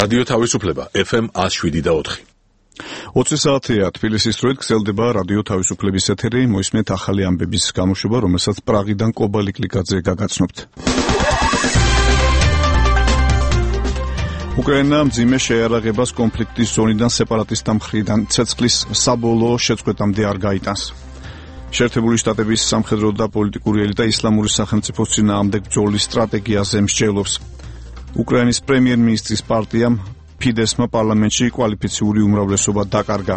რადიო თავისუფლება FM 107.4. 20 საათია თბილისის დროით გრძელდება რადიო თავისუფლების ეთერი, მოისმენთ ახალი ამბების გამოშვება, რომელსაც პრაღიდან კობა ლიკლიკაძე გაგაცნობთ. უკრაინა მძიმე შეიარაღებას კონფლიქტის ზონიდან სეპარატისტთა მხრიდან ცეცხლის საბოლოო შეწყვეტამდე არ გაიტანს. შეერთებული შტატების სამხედრო და პოლიტიკური ელიტა ისლამური სახელმწიფოს წინააღმდეგ ბრძოლის სტრატეგიაზე მსჯელობს. უკრაინის პრემიერ-მინისტრის პარტიამ ფიდესმა პარლამენტში კვალიფიციური უმრავლესობა დაკარგა.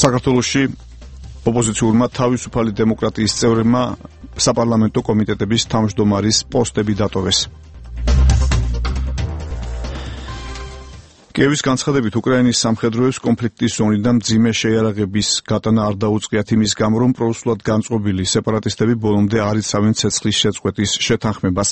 საქართველოში ოპოზიციურმა თავისუფალი დემოკრატიის წევრებმა საპარლამენტო კომიტეტების თავმჯდომარის პოსტები დატოვეს. კიევის განცხადებით უკრაინის სამხედროებს კონფლიქტის ზონიდან მძიმე შეიარაღების გატანა არ დაუწყიათ იმის გამო, რომ პროუსულად განწყობილი სეპარატისტები ბოლომდე არ იცავენ ცეცხლის შეწყვეტის შეთანხმებას.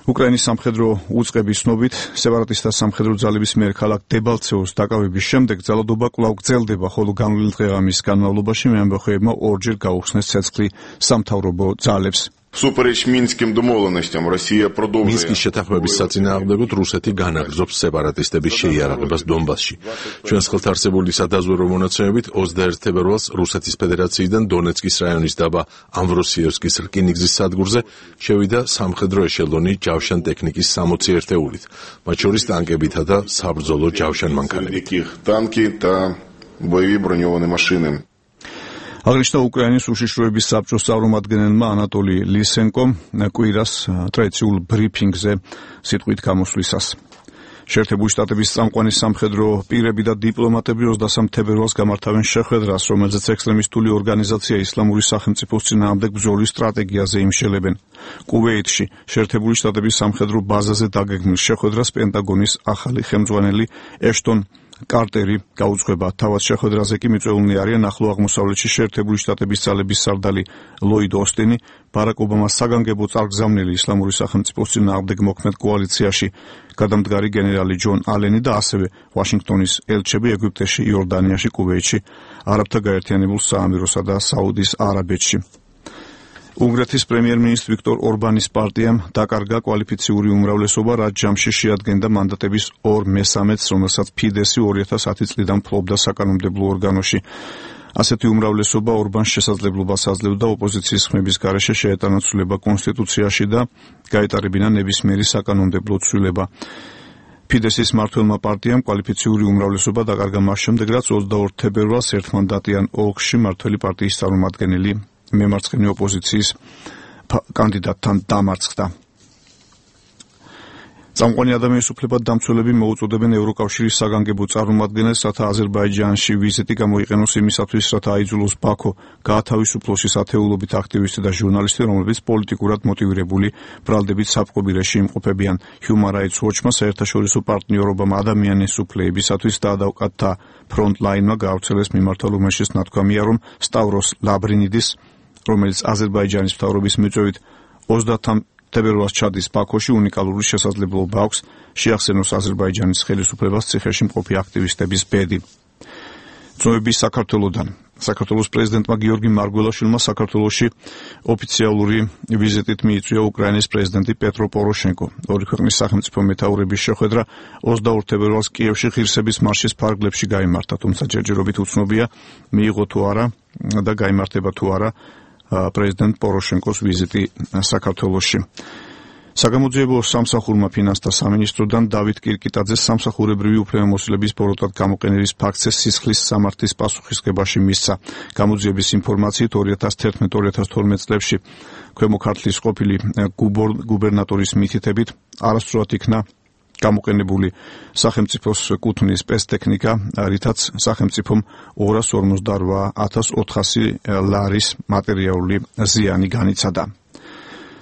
უკრაინის სამხედრო უწყების ცნობით, სეპარატისტთა სამხედრო ძალების მიერ ქალაქ დებალცეოს დაკავების შემდეგ ძალადობა კვლავ გრძელდება, ხოლო განვლილ დღეღამის განმავლობაში მეამბოხეებმა ორჯერ გაუხსნეს ცეცხლი სამთავრობო ძალებს. Всупереч Минским домовленостям Россия продолжает. მინსკის შეთანხმების საწინააღმდეგოდ რუსეთი განაგრძობს სეპარატისტების შეიარაღებას დონბასში. ჩვენს ხელთ არსებული სადაზვერვო მონაცემებით 21 თებერვალს რუსეთის ფედერაციიდან დონეცკის რაიონის დაბა ამვროსიევსკის რკინიგზის სადგურზე შევიდა სამხედრო ეშელონი ჯავშან ტექნიკის 60 ერთეულით, მათ შორის ტანკებითა და საბრძოლო ჯავშან მანქანებით. Танки და боевые бронёвые машины. აღნიშნა უკრაინის უშიშროების საბჭოს წარმომადგენელმა ანატოლი ლისენკომ კვირას ტრადიციულ ბრიფინგზე სიტყვით გამოსვლისას. შეერთებული შტატების წამყვანი სამხედრო პირები და დიპლომატები 23 თებერვალს გამართავენ შეხვედრას, რომელზეც ექსტრემისტული ორგანიზაცია ისლამური სახელმწიფოს წინააღმდეგ ბრძოლის სტრატეგიაზე იმშელებენ. კუვეითში შეერთებული შტატების სამხედრო ბაზაზე დაგეგმილ შეხვედრას პენტაგონის ახალი ხელმძღვანელი ეშტონ კარტერი გაუძღვება. თავად შეხვედრაზე კი მიწვეულნი არიან ახლო აღმოსავლეთში შეერთებული შტატების ძალების სარდალი ლოიდ ოსტინი, ბარაკ ობამას საგანგებო წარგზავნილი ისლამური სახელმწიფოს წინააღმდეგ მოქმედ კოალიციაში, გადამდგარი გენერალი ჯონ ალენი და ასევე ვაშინგტონის ელჩები ეგვიპტეში, იორდანიაში, კუვეითში, არაბთა გაერთიანებულ საამიროსა და საუდის არაბეთში. უნგრეთის პრემიერ-მინისტრი ვიქტორ ორბანის პარტიამ დაკარგა კვალიფიციური უმრავლესობა, რაც ჯამში შეადგენდა მანდატების 2/3-ს, რომელსაც ფიდესი 2010 წლიდან ფლობდა საკანონმდებლო ორგანოში. ასეთი უმრავლესობა ორბანს შესაძლებლობას აძლევდა ოპოზიციის ხმების გარეშე შეეტანა ცვლილება კონსტიტუციაში და გაეტარებინა ნებისმიერი საკანონმდებლო ცვლილება. ფიდესის მმართველმა პარტიამ კვალიფიციური უმრავლესობა დაკარგა მას შემდეგ, რაც 22 თებერვალს ერთმანდატიან ოლქში მმართველი პარტიის წარმომადგენელი მემარცხენე ოპოზიციის კანდიდატთან დამარცხდა. წამყვანი ადამიანის უფლებად დამცველები მოუწოდებენ ევროკავშირის საგანგებო წარმომადგენელს, რათა აზერბაიჯანში ვიზიტი გამოიყენოს იმისათვის, რათა აიძულოს ბაქო გაათავისუფლოს ის ათეულობით აქტივისტი და ჟურნალისტი, რომლებიც პოლიტიკურად მოტივირებული ბრალდებით საპყრობილე რეჟიმში იმყოფებიან. Human Rights Watch-მა საერთაშორისო პარტნიორობამ ადამიანის უფლებისათვის დაადავკათა ფრონტლაინმა გაავრცელეს მიმართა ლომეშის ნათქვამია, რომ სტავროს ლაბრინიდის, რომელიც აზერბაიჯანის მთავრობის მიწვევით 30 თებერვალს ჩადის ბაქოში, უნიკალური შესაძლებლობა აქვს შეახსენოს აზერბაიჯანის ხელისუფლებას ციხეში მყოფი აქტივისტების ბედი. ძმები საქართველოდან. საქართველოს პრეზიდენტმა გიორგი მარგველაშვილმა საქართველოში ოფიციალური ვიზიტით მიიწვია უკრაინის პრეზიდენტი პეტრო პოროშენკო. ორი ქვეყნის სახელმწიფო მეთაურების შეხვედრა 22 თებერვალს კიევში ღირსების მარშის ფარგლებში გაიმართა, თუმცა ჯერჯერობით უცნობია მიიღო თუ არა და გაიმართება თუ არა პრეზიდენტ პოროშენკოს ვიზიტი საქართველოში. საგამოძიებო სამსახურმა ფინანსთა სამინისტროდან დავით კირკიტაძეს სამსახურებრივი უფლებამოსილების ბოროტად გამოყენების ფაქტზე სისხლის სამართლის პასუხისმგებაში მისცა. გამოძიების ინფორმაციით 2011-2012 წლებში ქვემო ქართლის ყოფილი გუბერნატორის მითითებით არასწორად იქნა გამოყენებული სახელმწიფოს კუთვნის სპეცტექნიკა, რითაც სახელმწიფომ 248,400 ლარის მატერიალური ზიანი განიცადა.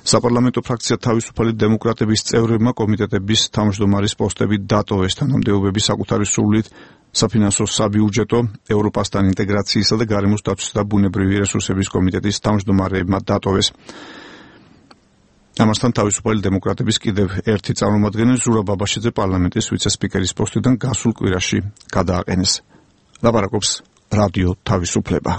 საპარლამენტო ფრაქცია თავისუფალი დემოკრატების წევრებმა კომიტეტების თავმჯდომარის პოსტები დატოვეს. თანამდებობები საკუთარი სურვილით საფინანსო საბიუჯეტო, ევროპასთან ინტეგრაციისა და გარემოს დაცვისა და ბუნებრივი რესურსების კომიტეტის თავმჯდომარეებმა დატოვეს. ამასთან თავისუფალი დემოკრატების კიდევ ერთი წარმომადგენელი ზურაბ ბაბაშიძე პარლამენტის ვიცე-სპიკერის პოსტიდან გასულ კვირაში გადააყენეს. ლაპარაკობს რადიო თავისუფლება.